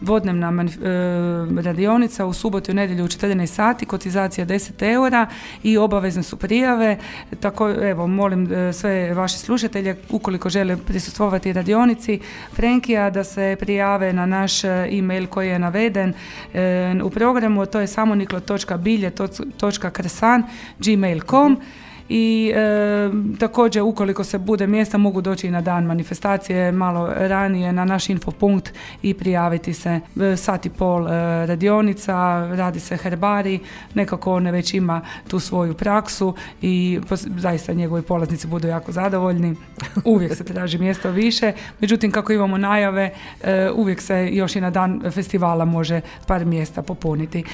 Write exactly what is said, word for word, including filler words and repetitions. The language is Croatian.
dvodnevna manif- e, radionica u subotu i nedjelju u četrnaest sati, kotizacija deset eura i obavezne su prijave. Tako, evo, molim e, sve vaše slušatelje, ukoliko žele prisustvovati radionici Frenkija, da se prijave na naš e-mail koji je naveden e, u programu, to je samoniklo točka bilje točka kresan gmail točka com. I e, također ukoliko se bude mjesta mogu doći i na dan manifestacije malo ranije na naš infopunkt i prijaviti se. E, sat i pol e, radionica, radi se herbari, nekako on već ima tu svoju praksu i pos, zaista njegovi polaznici budu jako zadovoljni. Uvijek se traži mjesto više, međutim kako imamo najave e, uvijek se još i na dan festivala može par mjesta popuniti.